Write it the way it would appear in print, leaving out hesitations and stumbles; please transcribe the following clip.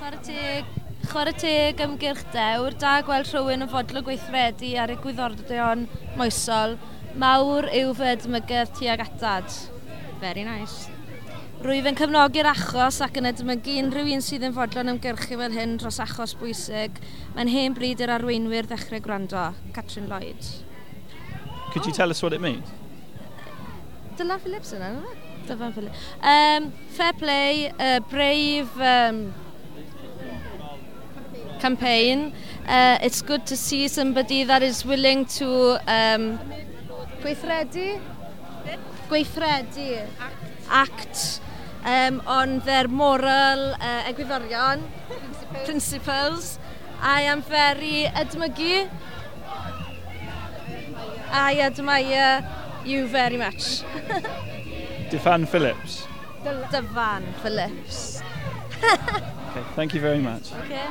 Chwarae teg, chwarae teg ymgyrch dewr, da gweld rhywun yn fodlon gweithredu ar egwyddorion moesol. Mawr yw fy edmygedd tuag atad. Very nice. Rwyf yn cefnogi'r achos ac yn edmygu unrhyw un sydd yn fodlon ymgyrchu fel hyn dros achos bwysig. Mae'n hen bryd i'r arweinwyr ddechrau gwrando. Catrin Lloyd. Could you tell us what it means? Dylan Phillips yna, yna? Dylan Phillips. Fair play, brave campaign. It's good to see somebody that is willing to gweithredu, gweithredu, act on their moral egwyddorion, principles. I am very edmygu. I admire you very much. Dyfan Phillips. Dyfan Phillips. Okay, thank you very much. Okay.